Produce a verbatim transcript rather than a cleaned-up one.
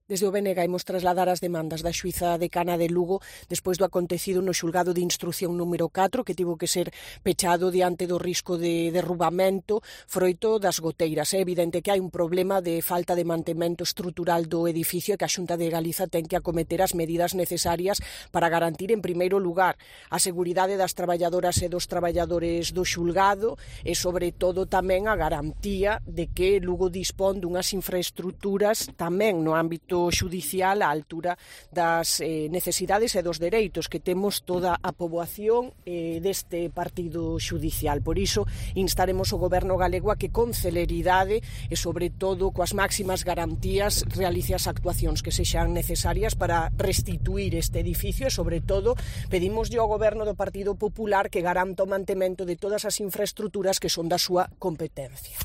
Desde o B N G imos trasladar as demandas da xuíza decana de Lugo despois do acontecido no xulgado de instrución número catro, que tivo que ser pechado diante do risco de derrubamento froito das goteiras. É evidente que hai un problema de falta de mantemento estrutural do edificio e que a Xunta de Galiza ten que acometer as medidas necesarias para garantir, en primeiro lugar, a seguridade das traballadoras e dos traballadores do xulgado e, sobre todo, tamén a garantía de que Lugo dispón dunhas infraestruturas tamén no ámbito xudicial á altura das eh, necesidades e dos dereitos que temos toda a poboación eh, deste partido xudicial. Por iso, instaremos o Goberno galego a que con celeridade e, sobre todo, coas máximas garantías realice as actuacións que sexan necesarias para restituir este edificio e, sobre todo, pedimoslle ao Goberno do Partido Popular que garanta o mantemento de todas as infraestruturas que son da súa competencia.